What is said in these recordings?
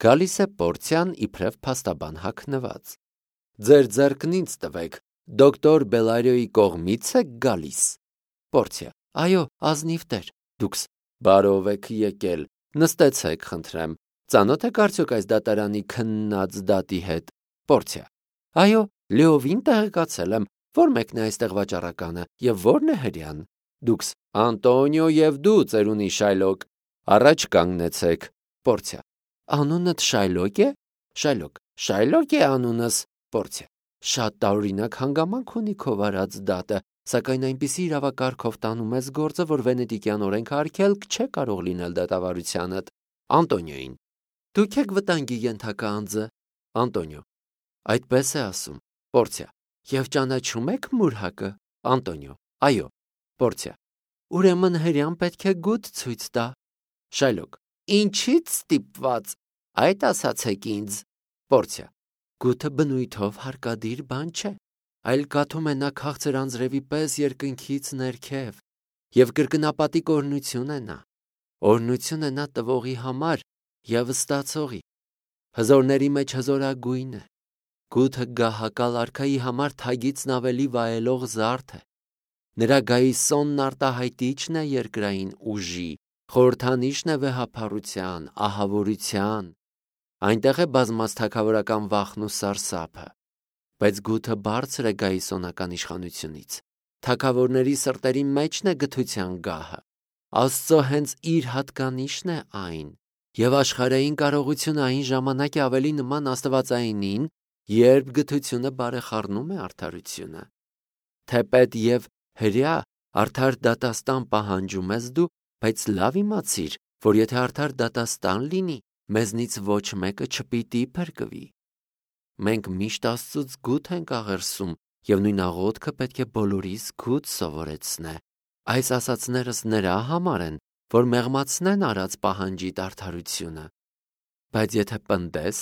Գալիս է Պորցիան իբրև փաստաբան հագնված։ Ձեր ձեռքն ինձ տվեք, դոկտոր Բելարիոյի կողմից եք գալիս։ Պորցիա. Այո, ազնիվ տեր, դուքս բարով եք եկել, նստեցեք, խնդրեմ, ծանոթ եք արդյոք այս դատարանի քննած դատի հետ։ Պորցիա. Այո, լիովին տեղեկացել եմ, որ մեկն է այստեղ վաճառականը եւ որն է հրեան։ Դուքս Անտոնիո եւ դու, ծերունի Շայլոկ, առաջ կանգնեցեք։ Պորցիա. Անունդ Շայլոկ է։ Շայլոկ. Շայլոկ է անունս։ Պորցիա. Շատ տարօրինակ հանգամանք ունի քո վարած դատը, սակայն այնպիսի իրավակարգով տանում ես գործը, որ վենետիկյան օրենքը արգելք չէ կարող լինել դատավարությանդ։ Անտոնիոին. Դուք եք վտանգի ենթակա անձը։ Անտոնիո. Այդպես է ասում։ Պորցիա. Եվ ճանաչում եք Մուրհակը։ Անտոնիո. Այո։ Պորցիա. Ուրեմն հրեան պետք է գութ ցույց տա։ Շայլոկ. Ինչից ստիպված։ Այդ ասացեք ինձ։ Պորցիա. Գութը բնույթով հարկադիր բան չէ, այլ կաթում է նա քաղցր անձրևի պես երկնքից ներքև, եւ կրկնապատիկ օրհնություն է նա։ Օրհնություն է նա տվողի համար եւ ստացողի։ Հզորների մեջ հզորագույն է։ Գութը գահակալ արքայի համար թագիցն ավելի վայելող զարդ է։ Նրա գայիսոնն արտահայտիչն է երկրային ուժի, խորհրդանիշն է վեհափառության, ահավորության։ Այնտեղ է բազմած թագավորական վախն ու սարսափը։ Բայց գութը բարձր է գայիսոնական իշխանությունից։ Թագավորների սրտերի մեջն է գթության գահը։ Աստծո հենց իր հատկանիշն է այն, եւ աշխարհային կարողությունը այն ժամանակ է ավելի նման աստվածայինին, երբ գթությունը բարեխառնում է արդարությունը։ Թեպետ եւ հրյա արդար դատաստան պահանջում ես դու, բայց լավ իմացիր, որ եթե արդար դատաստան լինի, մեզնից ոչ մեկը չպիտի փրկվի։ Մենք միշտ Աստծուց գութ ենք աղերսում, եւ նույն աղոթքը պետք է բոլորիս գութ սովորեցնե։ Այս ասացներս նրա համար են, որ մեղմացնեն արած պահանջիդ արդարությունը։ Բայց եթե պնդես,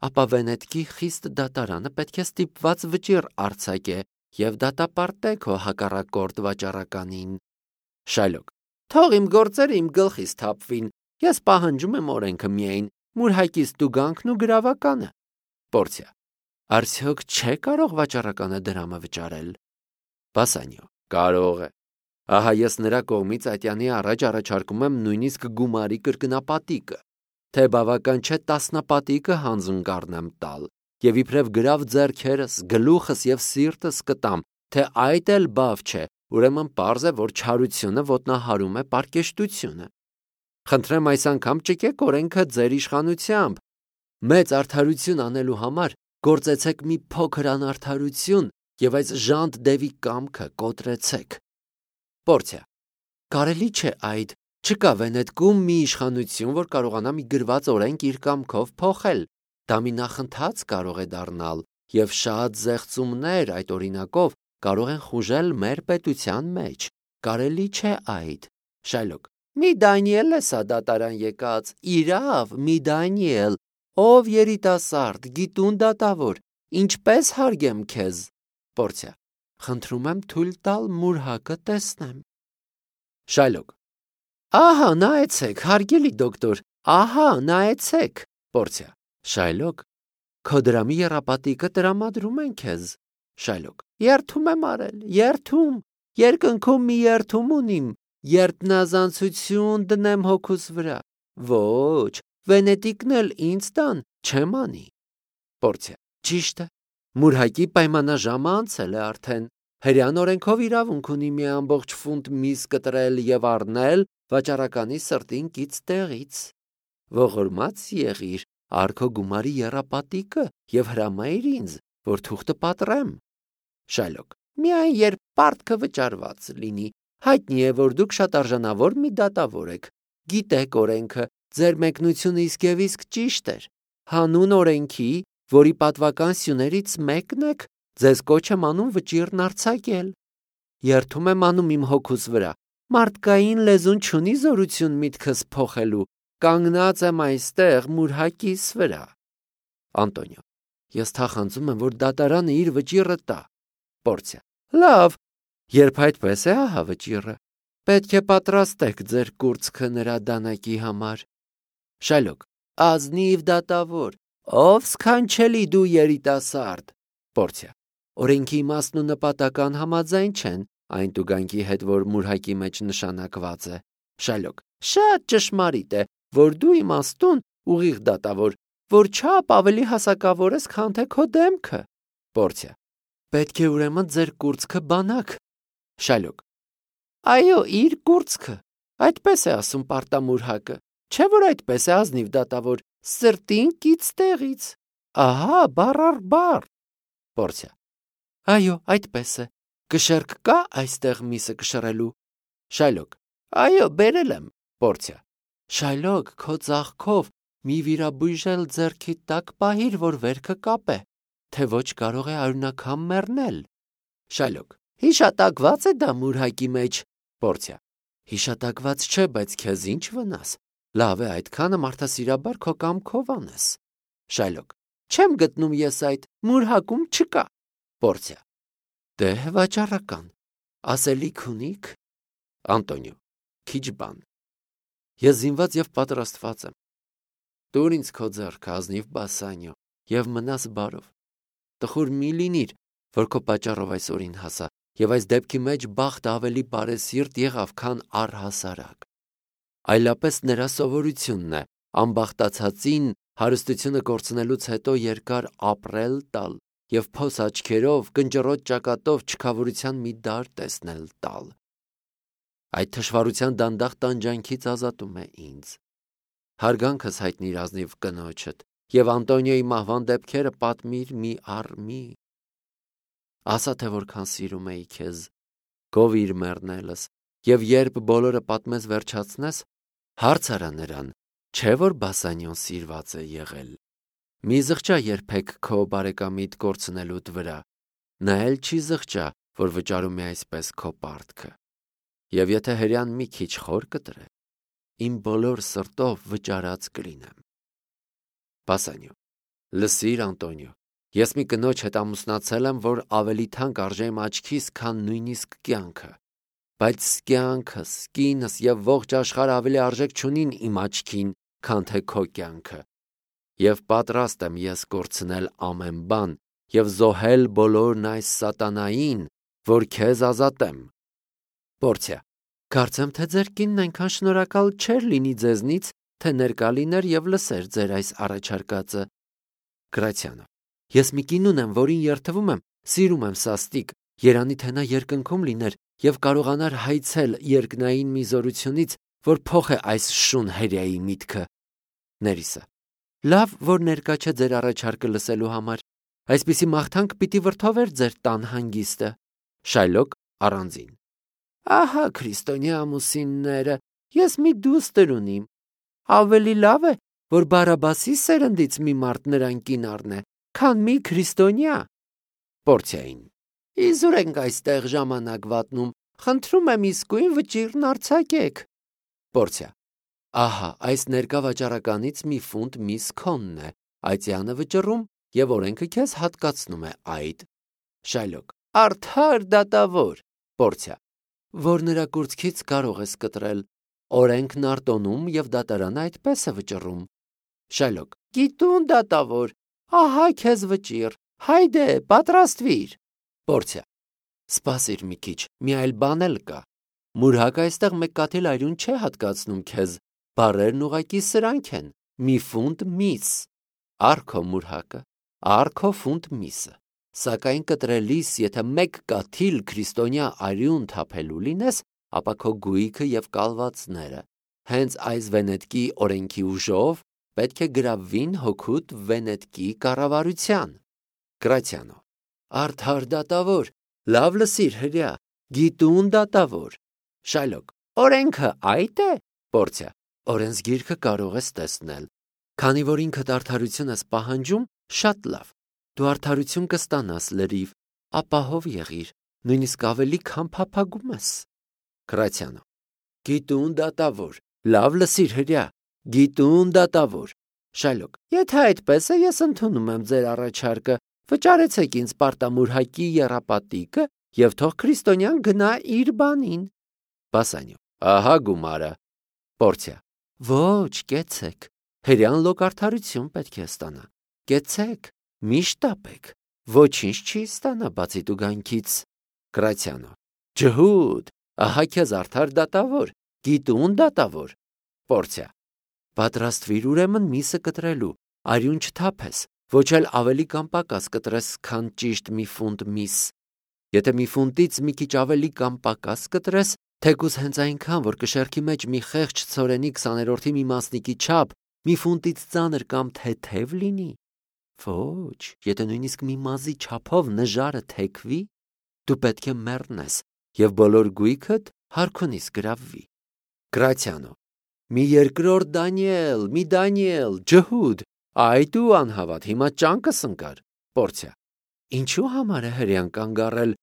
ապա Վենետկի խիստ դատարանը պետք է ստիպված վճիռ արձակե եւ դատապարտե քո հակառակորդ վաճառականին։ Շայլոկ. Թող իմ գործերը իմ գլխից թափվին, ես պահանջում եմ օրենքը միայն, Մուրհակից տուգանքն ու գրավականը։ Պորցիա. Արդյոք չէ կարող վաճառականը դրամը վճարել։ Բասանիո. Կարող է։ Ահա ես նրա կողմից ատյանի առաջ առաջարկում եմ նույնիսկ գումարի կրկնապատիկը, թե բավական չէ տասնապատիկը հանձն կառնեմ տալ, եւ իբրև գրավ ձեռքերս, գլուխս եւ սիրտս կտամ, թե այդ էլ բավ չէ, ուրեմն պարզ է, որ չարությունը ոտնահարում է պարկեշտությունը։ Խնդրեմ այս անգամ ճկեք օրենքը ձեր իշխանությամբ։ Մեծ արդարություն անելու համար գործեցեք մի փոքր անարդարություն եւ այս ժանտ դևի կամքը կոտրեցեք։ Պորցիա. Կարելի չէ այդ, չկա Վենետկում մի իշխանություն, որ կարողանա մի գրված օրենք իր կամքով փոխել։ Դա մի նախընթաց կարող է դառնալ, եւ շատ զեղծումներ այդ օրինակով կարող են խուժել մեր պետության մեջ։ Կարելի չէ այդ։ Շայլոկ. Մի Դանիել է սա դատարան եկած, իրավ, մի Դանիել, ով երիտասարդ, գիտուն դատավոր, ինչպես հարգեմ քեզ։ Պորցիա. Խնդրում եմ թույլ տալ Մուրհակը տեսնեմ։ Շայլոկ. Ահա, նայեցեք, հարգելի դոկտոր, ահա, նայեցեք։ Պորցիա. Շայլոկ, քո դրամի եռապատիկը տրամադրում են քեզ։ Շայլոկ. Երթում եմ արել, երթում, երկնքում մի երթում ունիմ, երտնազանցություն դնեմ հոգուս վրա։ Ոչ, Վենետիկն էլ ինձ տան, չեմ անի։ Պորցիա. Ճիշտ է, Մուրհակի պայմանաժամը անցել է արդեն։ Հրեան օրենքով իրավունք ունի մի ամբողջ ֆունտ միս կտրել եւ առնել վաճառականի սրտին կից տեղից։ Ողորմած եղիր, արքո գումարի եռապատիկը եւ հրամայիր ինձ, որ թուղթը պատռեմ։ Շայլոկ. Միայն երբ պարտքը վճարված լինի, հայտնի է, որ դուք շատ արժանավոր մի դատավոր եք։ Գիտեք օրենքը, ձեր մեկնությունը իսկ եւ իսկ ճիշտ էր։ Հանուն օրենքի, որի պատվական սյուներից մեկն եք, ձեզ կոչ եմ անում վճիռն արձակել։ Երթում եմ անում իմ հոգուս վրա։ Մարդկային լեզուն չունի զորություն միտքս փոխելու։ Կանգնած եմ այստեղ Մուրհակիս վրա։ Անտոնիո. Ես թախանձում եմ, որ դատարանը իր վճիռը տա։ Պորցիա. Լավ, երբ այդպես է, ահա վճիռը։ Պետք է պատրաստեք ձեր կուրծքը նրա դանակի համար։ Շայլոկ. ազնիվ դատավոր, ով սքանչելի դու երիտասարդ։ Պորցիա. օրենքի իմաստն ու նպատական համաձայն չեն այն տուգանքի հետ, որ մուրհակի մեջ նշանակված է։ Շալոկ. շատ ճշմարիտ է, որ դու իմաստուն ուղիղ դատավոր, որ չափ ավելի հասակավոր ես, քան թե քո դեմքը։ Պորցիա. պետք է ուրեմն ձեր կուրծքը բանակ։ Շալոկ. այո, իր կուրծքը, այդպես է ասում պարտամուրհակը, չէ որ այդպես է ազնիվ դատավոր, սրտին կից տեղից, ահա բառ առ բառ։ Պորցիա. այո, այդպես է, կշեռք կա այստեղ միսը կշռելու։ Շալոկ. այո, բերել եմ։ Պորցիա. Շայլոկ, քո ծաղկով մի վիրաբույժել ձեռքիդ տակ պահիր, որ վերքը կապե, թե ոչ կարող է արյունակամ մեռնել։ Շայլոկ. հիշատակված է դա մուրհակի մեջ։ Պորցիա. հիշատակված չէ, բայց քեզ ինչ վնաս, լավ է այդքանը մարդասիրաբար քո կամքով անես։ Շայլոկ. չեմ գտնում ես այդ, մուրհակում չկա։ Պորցիա. դե վաճառական, ասելիք ունիք։ Անտոնիո. քիչ բան։ Ես զինված եւ պատրաստված եմ։ Տուր ինձ քո ձեռքը, ազնիվ Բասանիո, եւ մնաս բարով։ Տխուր մի լինիր, որ քո պատճառով այսօրին հասա, եւ այս դեպքի մեջ բախտը ավելի բարեսիրտ եղավ, քան առհասարակ։ Այլապես նրա սովորությունն է անբախտացածին հարստությունը կորցնելուց հետո երկար ապրել տալ եւ փոս աչքերով, կնճռոտ ճակատով չքավորության մի դար տեսնել տալ։ Այդ թշվառության դանդաղ տանջանքից ազատում է ինձ։ Հարգանքս հայտնիր ազնիվ կնոջդ եւ Անտոնիոյի մահվան դեպքերը պատմիր մի առ մի։ Ասա թե որքան սիրում էի քեզ, գովիր մեռնելս, եւ երբ բոլորը պատմես վերջացնես, հարց արա նրան, չէ որ Բասանիոն սիրված է եղել։ Մի զղջա երբեք քո բարեկամիդ կորցնելուդ վրա, նա էլ չի զղջա, որ վճարում է այսպես քո պարտքը։ Եվ եթե հրյան մի քիչ խոր կտրե, իմ բոլոր սրտով վճարած կլինեմ։ Բասանիո. լսիր Անտոնիո, ես մի կնոջ հետ ամուսնացել եմ, որ ավելի թանկ արժե իմ աչքիս, քան նույնիսկ կյանքը, բայց կյանքս, կինս եւ ողջ աշխարհը ավելի արժեք չունին իմ աչքին, քան թե քո կյանքը։ Եվ պատրաստ եմ ես կորցնել ամեն բան եւ զոհել բոլորն այս սատանային, որ քեզ ազատեմ։ Պորցիա. կարծեմ թե ձեր կինն այնքան շնորհակալ չէր լինի ձեզնից, թե ներկա լիներ եւ լսեր ձեր այս առաջարկածը։ Գրացիանո. ես մի կին ունեմ, որին երթվում եմ, սիրում եմ սաստիկ, երանի թե նա երկնքում լիներ եւ կարողանար հայցել երկնային մի զորությունից, որ փոխե այս շուն հերյայի միտքը։ Ներիսը. լավ, որ ներկա չէ ձեր առաջարկը լսելու համար, այսպիսի մաղթանք պիտի վրդովեր ձեր տան հանգիստը։ Շայլոկ առանձին. ահա քրիստոնյա ամուսինները, ես մի դուստր ունիմ, ավելի լավ է, որ Բարաբասի սերնդից մի մարդ նրան կին առնե, քան մի քրիստոնյա։ Պորցիային. իզուր ենք այստեղ ժամանակ վատնում, խնդրում եմ իսկույն վճիրն արձակեք։ Պորցիա. ահա այս ներկա վաճառականից մի ֆունտ միս քոնն է, այծյանը վճռում եւ օրենքը քեզ հատկացնում է այդ։ Շայլոկ. արդար դատավոր։ Պորցիա. որ նրա կուրծքից կարող ես կտրել, օրենքն արտոնում եւ դատարանը այդպես է վճռում։ Շայլոկ. գիտուն դատավոր, ահա քեզ վճիր, հայդե, պատրաստվիր։ Պորցիա. սպասիր մի քիչ, մի այլ բան էլ կա։ Մուրհակը այստեղ մեկ կաթիլ այրուն չէ հատկացնում քեզ, բառերն ուղակի սրանք են, մի ֆունտ միս։ Արքո մուրհակը, արքո ֆունտ միսը։ Սակայն կտրելիս, եթե մեկ կաթիլ քրիստոնյա արյուն թափելու լինես, ապա քո գույքը եւ կալվածները հենց այս վենետկի օրենքի ուժով պետք է գրավվին հոգուտ վենետկի կառավարության։ Գրացիանո. արդար դատավոր, լավ լսիր հրյա, գիտուն դատավոր։ Շայլոկ. օրենքը այդ է։ Պորցիա. օրենսգիրքը կարող ես տեսնել, քանի որ ինքդ արդարություն ես պահանջում, շատ լավ։ Դու արդարություն կստանաս լրիվ, ապահով եղիր, նույնիսկ ավելի քան փափագում ես։ Գրացիանո. գիտուն դատավոր, լավ լսիր հրյա, գիտուն դատավոր։ Շայլոկ. եթե այդպես է, ես ընդունում եմ ձեր առաջարկը, վճարեցեք ինձ պարտամուրհակի եռապատիկը եւ թող քրիստոնյան գնա իր բանին։ Բասանիո. ահա գումարը։ Պորցիա. ոչ, կեցեք, Հրեան լոկ արդարություն պետք է ստանա։ Կեցեք, միշտ տապեք, ոչինչ չի ստանա բացի տուգանքից։ Գրացյանը. Ջհուդ, ահա քեզ արդար դատավոր, գիտուն դատավոր։ Պորցիա. Պատրաստվիր ուրեմն միսը կտրելու, արյուն չթափես, ոչ էլ ավելի կամ պակաս կտրես, քան ճիշտ մի ֆունտ միս։ Եթե մի ֆունտից մի քիչ ավելի կամ պակաս կտրես, թեկուզ հենց այնքան, որ կշեռքի մեջ մի խեղճ ցորենի 20-րդի մի մասնիկի չափ, մի ֆունտից ծանր կամ թեթև լինի։ Ոչ, եթե նույնիսկ մի մազի չափով նժարը թեքվի, դու պետք է մեռնես եւ բոլոր գույքդ հարքունից գրավվի։ Գրացյանը. Մի երկրորդ Դանիել, մի Դանիել, ջհուդ, այ դու անհավատ, հիմա ճանկս ընկար։ Պորցիա. Ինչու համար է հրեան կանգ առել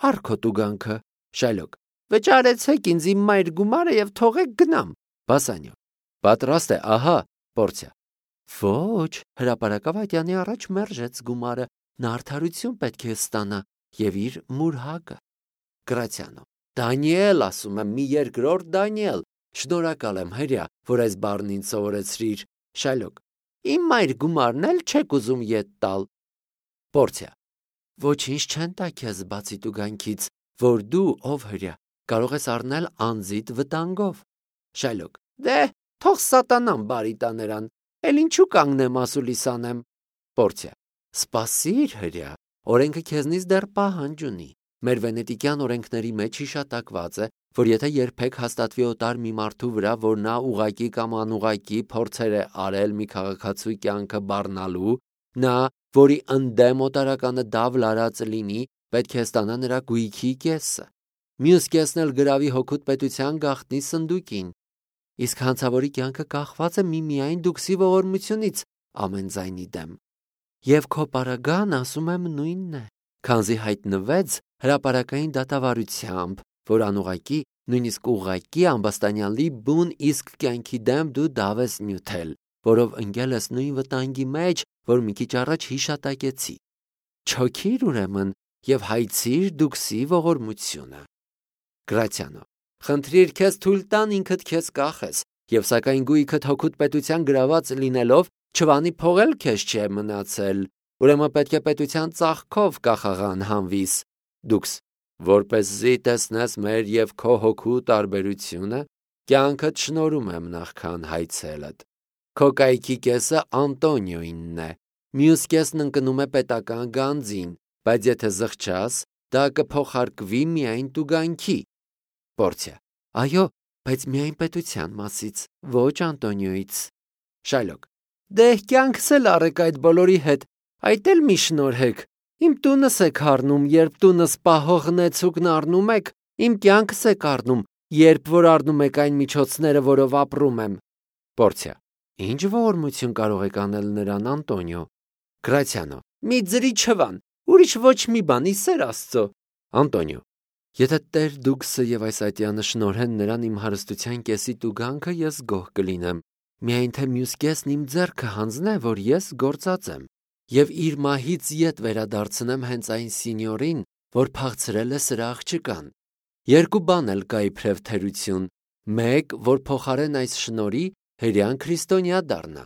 արքո տուգանքը։ Շայլոկ. Վճարեցեք ինձ իմ մայր գումարը եւ թողեք գնամ։ Բասանյո. Պատրաստ է, ահա։ Պորցիա. Ոչ, հրապարակավատյանի առաջ մերժեց գումարը, նա արդարություն պետք է ստանա եւ իր մուրհակը։ Գրացյանը. Դանիել, ասում եմ, մի երկրորդ Դանիել, շնորհակալ եմ հրյա, որ այս բառն ինձ սովորեցրիր։ Շայլոկ. Իմ մայր գումարն էլ չեք ուզում ետ տալ։ Պորցիա. Ոչինչ չեն տա քեզ բացի տուգանքից, որ դու, ով հրյա, կարող ես առնել անձիդ վտանգով։ Շայլոկ. Դե, թող սատանան բարի տա նրան, էլ ինչու կանգնեմ ասուլիս անեմ։ Պորցիա. Սպասիր հրյա, օրենքը քեզնից դեռ պահանջ ունի։ Մեր վենետիկյան օրենքների մեջ հիշատակված է, որ եթե երբեք հաստատվի օտար մի մարդու վրա, որ նա ուղակի կամ անուղակի փորձեր է արել մի քաղաքացու կյանքը բառնալու, նա, որի ընդդեմ օտարականը դավ լարած լինի, պետք է ստանա նրա գույքի կեսը։ Մյուս կեսն էլ գրավի հոգուտ պետության գաղտնի սնդուկին։ Իսկ հանցավորի կյանքը կախված է միմիայն դուքսի ողորմությունից ամեն ձայնի դեմ։ Եվ քո պարագան, ասում եմ, նույնն է, քանզի հայտնվեց հրապարակային դատավարությամբ, որ անուղակի, նույնիսկ ուղակի ամբաստանյալի բուն իսկ կյանքի դեմ դու դավ ես նյութել, որով ընկել ես նույն վտանգի մեջ, որ մի քիչ առաջ հիշատակեցի։ Չոքիր ուրեմն եւ հայցիր դուքսի ողորմությունը։ Գրացյանը. Խնդրիր քեզ թույլ տան ինքդ քեզ կախես, եւ սակայն գույքդ հոգուտ պետության գրաված լինելով չվանի փողել քեզ չէ մնացել, ուրեմն պետք է պետության ծաղկով կախաղան հանվիս։ Դուքս, որպեսզի տեսնես մեր եւ քո հոգու տարբերությունը, կյանքդ շնորհում եմ նախքան հայցելդ։ Քո կայքի կեսը Անտոնիոյինն է, մյուս կեսն ընկնում է պետական գանձին, բայց եթե զղջաս, դա կփոխարկվի միայն տուգանքի։ Պորցիա. Այո, բայց միայն պետության մասից, ոչ Անտոնիոյից։ Շայլոկ. Դե կյանքս էլ առեք այդ բոլորի հետ, այդ էլ մի շնորհեք։ Իմ տունս եք առնում, երբ տունս պահող նեցուկն առնում եք, իմ կյանքս եք առնում, երբ որ առնում եք այն միջոցները, որով ապրում եմ։ Պորցիա. Ինչ ողորմություն կարող եք անել նրան, Անտոնիո։ Գրացյանը. Մի ձրի չվան, ուրիշ ոչ մի բան, իսեր Աստծո։ Անտոնիո. Եթե Տեր Դուքսը եւ այս ատյանը շնորհեն նրան իմ հարստության կեսի տուգանքը, ես գոհ կլինեմ։ Միայն թե մյուս կեսն իմ ձեռքը հանձնե, որ ես գործած եմ, եւ իր մահից ետ վերադարձնեմ հենց այն սինյորին, որ փախցրել է սրա աղջկան։ Երկու բան էլ կա իբրև թերություն. մեկ, որ փոխարեն այս շնորի հրեան քրիստոնյա դառնա։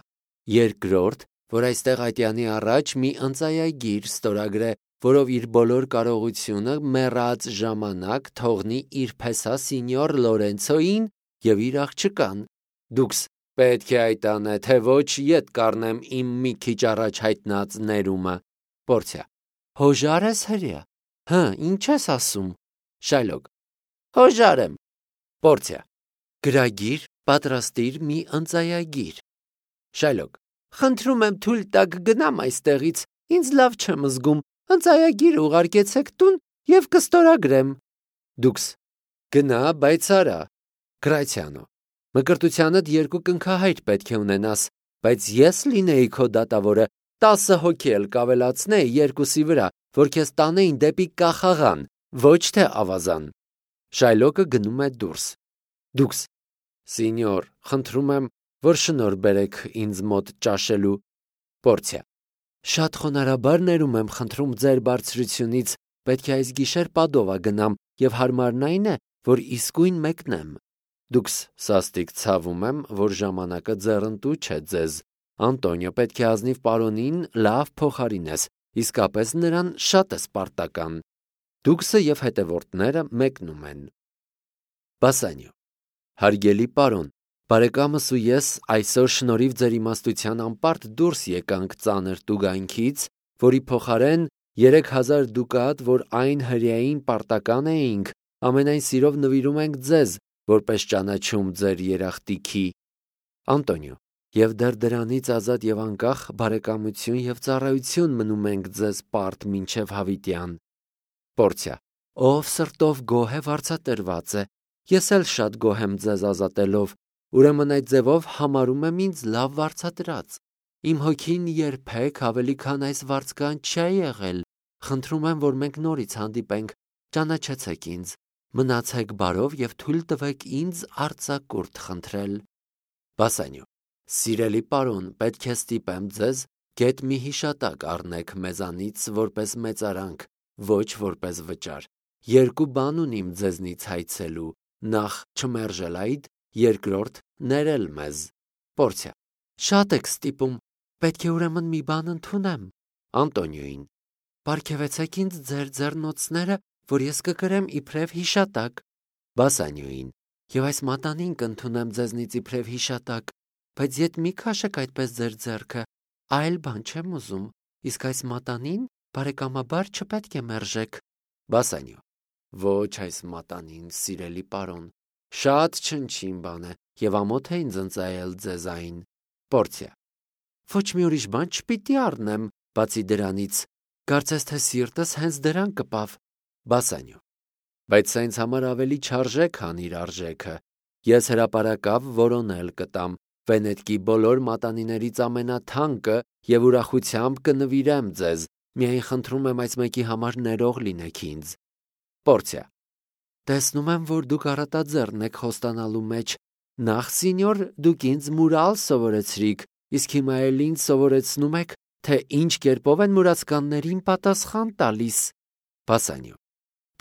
Երկրորդ, որ այստեղ ատյանի առաջ մի ընծայագիր ստորագրե, որով իր բոլոր կարողությունը մեռած ժամանակ թողնի իր փեսա սինյոր Լորենցոին եւ իր աղջկան։ Դուքս պետք է այդ անե, թե ոչ ետ կառնեմ իմ մի քիչ առաջ հայտնած ներումը։ Պորցիա. Հոժար ես հրյա։ Հը, ինչ ես ասում։ Շայլոկ. Հոժար եմ։ Պորցիա. Գրագիր, պատրաստիր մի ընծայագիր։ Շայլոկ. Խնդրում եմ թույլ տաք գնամ այստեղից, ինձ լավ չեմ զգում, ընծայագիր ուղարկեցեք տուն եւ կստորագրեմ։ Դուքս. Գնա, բայց արա։ Գրացյանը. Մկրտությանդ երկու կնքահայր պետք է ունենաս, բայց ես լինեի քո դատավորը, 10 հոգի էլ կավելացնեի երկուսի վրա, որ քեզ տանեին դեպի կախաղան, ոչ թե ավազան։ Շայլոկը գնում է դուրս։ Դուքս. Սինյոր, խնդրում եմ, որ շնորհ բերեք ինձ մոտ ճաշելու։ Պորցիա. Շատ խոնարհաբար ներում եմ խնդրում ձեր բարձրությունից, պետք է այս գիշեր Պադովա գնամ եւ հարմարն այն է, որ իսկույն մեկնեմ։ Դուքս սաստիկ ցավում եմ, որ ժամանակը ձեռնտու չէ ձեզ, Անտոնիո, պետք է ազնիվ պարոնին լավ փոխարինես, իսկապես նրան շատ ես պարտական։ Դուքսը և հետևորդները մեկնում են։ Բասանիո. Հարգելի պարոն, բարեկամս ու ես այսօր շնորհիվ ձեր իմաստության անպարտ դուրս եկանք ծանր տուգանքից, որի փոխարեն 3000 դուկատ, որ այն հրեային պարտական էինք, ամենայն սիրով նվիրում ենք ձեզ, որպես ճանաչում ձեր երախտիքի։ Անտոնիո. Եվ դեռ դրանից ազատ և անկախ բարեկամություն և ծառայություն մնում ենք ձեզ պարտ մինչև հավիտյան։ Պորցիա. Ով սրտով գոհ է վարձատրված է, ես էլ շատ գոհ եմ ձեզ ազատելով, ուրեմն այդ ձևով համարում եմ ինձ լավ վարձատրած։ Իմ հոգին երբեք ավելի քան այս վարձկանց չի եղել, խնդրում եմ, որ մենք նորից հանդիպենք, ճանաչեցեք ինձ, մնացեք բարով և թույլ տվեք ինձ արձակուրդ խնդրել։ Բասանիո. Սիրելի պարոն, պետք է ստիպեմ ձեզ, գեթ մի հիշատակ առնեք մեզանից որպես մեծարանք, ոչ որպես վճար։ Երկու բան ունիմ ձեզնից հայցելու, նախ չմերժել այդ, երկրորդ ներել մեզ։ Պորցիա. Շատ եք ստիպում, պետք է ուրեմն մի բան ընդունեմ։ Անտոնիոին. Պարգևեցեք ինձ ձեր ձեռնոցները, որ ես կկրեմ իբրև հիշատակ։ Բասանիոին. Եվ այս մատանին կընդունեմ ձեզնից իբրև հիշատակ, բայց եթե մի քաշեք այդպես ձեր ձեռքը, այլ բան չեմ ուզում, իսկ այս մատանին բարեկամաբար չպետք է մերժեք։ Բասանիո. Ոչ այս մատանին, սիրելի պարոն, շատ չնչին բան է և ամոթ է ինձ ընծայել ձեզ այն։ Պորցիա. Ոչ մի ուրիշ բան չպիտի առնեմ, բացի դրանից, կարծես թե սիրտս հենց դրան կպավ։ Բասանիո. Բայց սա ինձ համար ավելի չարժե, քան իր արժեքը։ Ես հրապարակավ որոնել կտամ, Վենետկի բոլոր մատանիներից ամենաթանկը և ուրախությամբ կնվիրեմ ձեզ, միայն խնդրում եմ այս մեկի համար ներող լինեք ինձ։ Պորցիա. Տեսնում եմ, որ դուք առատաձեռն եք խոստանալու մեջ, նախ սինյոր դուք ինձ մուրալ սովորեցրիք, իսկ հիմա էլ ինձ սովորեցնում եք, թե ինչ կերպով են մուրացկաններին պատասխան տալիս։ Բասանիո.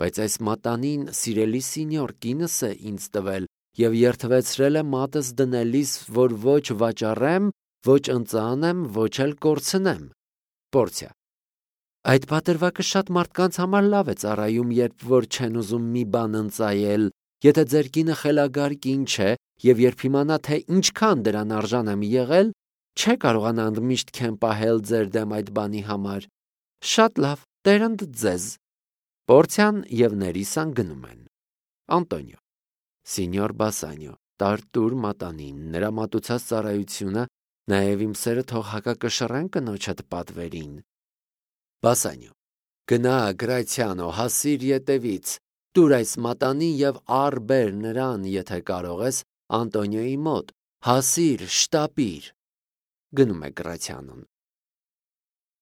Բայց այս մատանին սիրելի սինյոր կինս է ինձ տվել և երդվեցրել է մատս դնելիս, որ ոչ վաճառեմ, ոչ ընծանեմ, ոչ էլ կորցնեմ։ Պորցիա. Այդ պատրվակը շատ մարդկանց համար լավ է ծառայում, երբ որ չեն ուզում մի բան ընծայել, եթե ձեր կինը խելագար կին չէ և երբ իմանա, թե ինչքան դրան արժան եմ եղել, չէ կարողանա ընդմիշտ քեն պահել ձեր դեմ այդ բանի համար։ Շատ լավ, տերընդ ձեզ։ Պորցիան և Ներիսան գնում են։ Անտոնիո. Սինյոր Բասանիո, տարտուր մատանին, նրա մատուցած ծառայությունը, նաև իմ սերը թող հակակշռեն կնոջդ պատվերին։ Բասանիո. Գնա, Գրացիանո, հասիր ետևից, տուր այս մատանին և առ-բեր նրան, եթե կարող ես, Անտոնիոյի մոտ, հասիր, շտապիր։ Գնում է Գրացիանոն։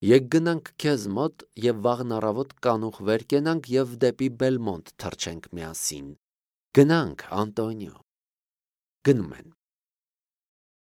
Եկ գնանք քեզ մոտ և վաղն առավոտ կանուխ վեր կենանք և դեպի Բելմոնտ թռչենք միասին։ Գնանք, Անտոնիո։ Գնում են։